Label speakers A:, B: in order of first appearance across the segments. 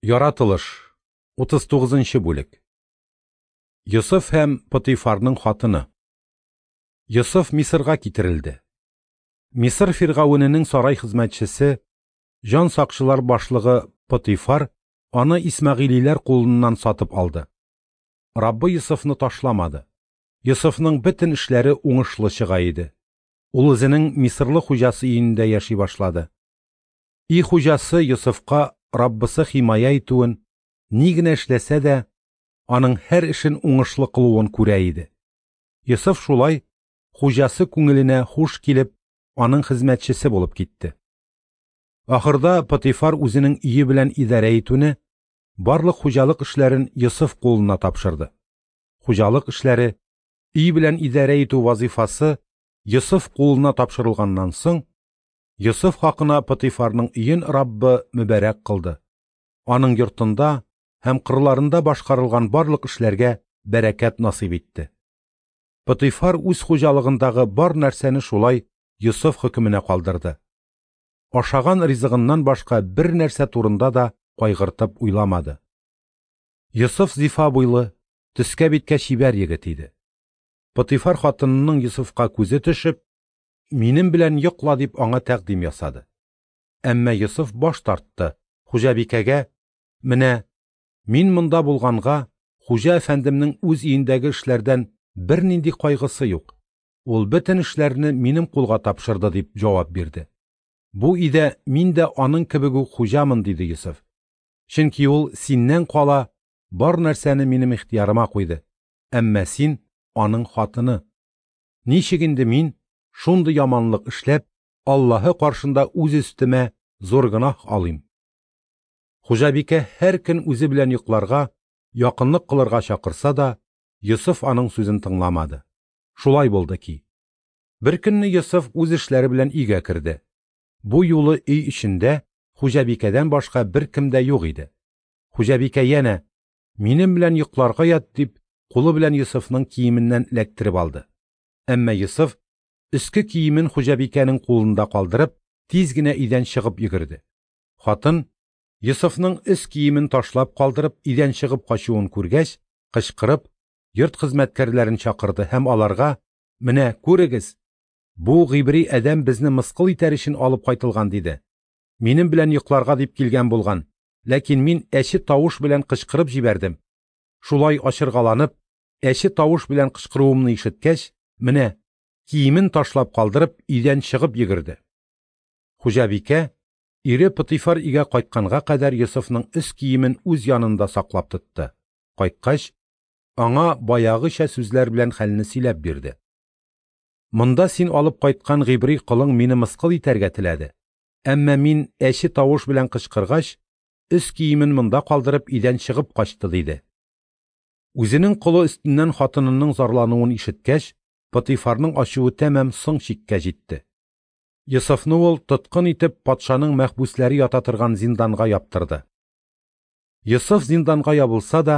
A: Яратылыш, 39 нчы бүлек. Йосыф һәм Потыйфарның хатыны. Йосыф Мисырга китерелде. Мисыр фиргавененең сарай хезмәтчесе, җан сакчылар башлыгы Потыйфар аны исмәгыйлиләр кулыннан сатып алды. Раббы Йосыфны ташламады. Йосыфның бөтен эшләре уңышлы чыга иде. Ул үзенең мисырлы хуҗасы өендә яши башлады. Өй хуҗасы Йосыфка Раббысы химая итүен, ни генә эшләсә дә, аның һәр эшен уңышлы кылуын күрә иде. Йосыф шулай хуҗасы күңеленә хуш килеп, аның хезмәтчесе булып китте. Ахырда Потифар үзенең өе белән идарә итүне, барлык хуҗалык эшләрен Йосыф кулына тапшырды. Хуҗалык эшләре, өй белән идарә итү вазифасы Йосыф кулына тапшырылганнан соң, Йосыф хакына Потыйфарның өен Раббы мөбарәк кылды. Аның йортында һәм кырларында башкарылган барлык эшләргә бәрәкәт насыйп итте. Потыйфар үз хуҗалыгындагы бар нәрсәне шулай Йосыф хөкеменә калдырды. Ашаган ризыгыннан башка бер нәрсә турында да кайгыртып уйламады. Йосыф зифа буйлы, төскә-биткә чибәр егет иде. Потыйфар хатынының Йосыфка күзе төшеп, Минем белән йокла, дип аңа тәкъдим ясады. Әмма Йосыф баш тартты, хуҗабикәгә, Менә, мин монда булганга, хуҗа әфәндемнең үз өендәге эшләрдән бернинди кайгысы юк. Ул бөтен эшләрне минем кулга тапшырды, дип җавап бирде. Бу өйдә мин дә аның кебек үк хуҗамын, диде Йосыф. Чөнки ул синнән кала бар нәрсәне минем ихтыярыма куйды, әмма син аның хатыны. Ничек инде мин, шундый яманлык эшләп, Аллаһы каршында үз өстемә зур гөнаһ алыйм? Хуҗабикә һәр көн үзе белән йокларга, якынлык кылырга чакырса да, Йосыф аның сүзен тыңламады. Шулай булды ки, беркөнне Йосыф үз эшләре белән өйгә керде. Бу юлы өй эчендә хуҗабикәдән башка беркем дә юк иде. Хуҗабикә янә, Минем белән йокларга ят, дип, кулы белән Йосыфның киеменнән эләктереп алды. Әмма Йосыф, өске киемен хуҗабикәнең кулында калдырып, тиз генә өйдән чыгып йөгерде. Хатын, Йосыфның өс киемен ташлап калдырып, өйдән чыгып качуын күргәч, кычкырып, йорт хезмәткәрләрен чакырды һәм аларга, Менә, күрегез, бу гыйбри адәм безне мыскыл итәр өчен алып кайтылган, диде. Минем белән йокларга дип килгән булган, ләкин мин әче тавыш белән кычкырып җибәрдем. Шулай ачыргаланып, әче тавыш белән кычкыруымны ишеткәч, менә, киемен ташлап калдырып, өйдән чыгып йөгерде. Хуҗабикә, ире Потыйфар өйгә кайтканга кадәр Йосыфның өс киемен үз янында саклап тотты. Кайткач, аңа баягыча сүзләр белән хәлне сөйләп бирде. Монда син алып кайткан гыйбри колың мине мыскыл итәргә теләде. Әмма мин әче тавыш белән кычкыргач, өс киемен монда калдырып өйдән чыгып качты, диде. Үзенең колы өстеннән хатынының зарлануын ишеткәч, Потыйфарның ачуы тәмам соң чиккә җитте. Йосыфны ул тоткын итеп патшаның мәхбүсләре ята торган зинданга яптырды. Йосыф зинданга ябылса да,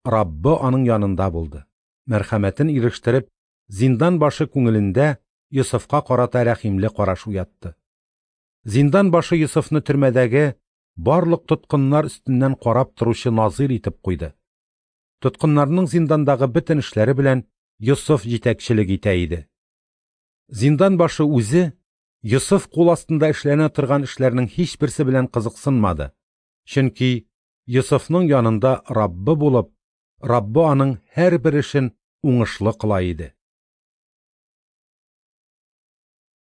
A: Раббы аның янында булды. Мәрхәмәтен ирештереп, зиндан башы күңелендә Йосыфка карата рәхимле караш уятты. Зиндан башы Йосыфны төрмәдәге барлык тоткыннар өстеннән карап торучы назыйр итеп куйды. Тоткыннарның зиндандагы бөтен эшләре белән Йосыф җитәкчелек итә иде. Зиндан башы үзе Йосыф кул астында эшләнә торган эшләрнең һичберсе белән кызыксынмады, чөнки Йосыфның янында Раббы булып, Раббы аның һәрбер эшен уңышлы кыла иде.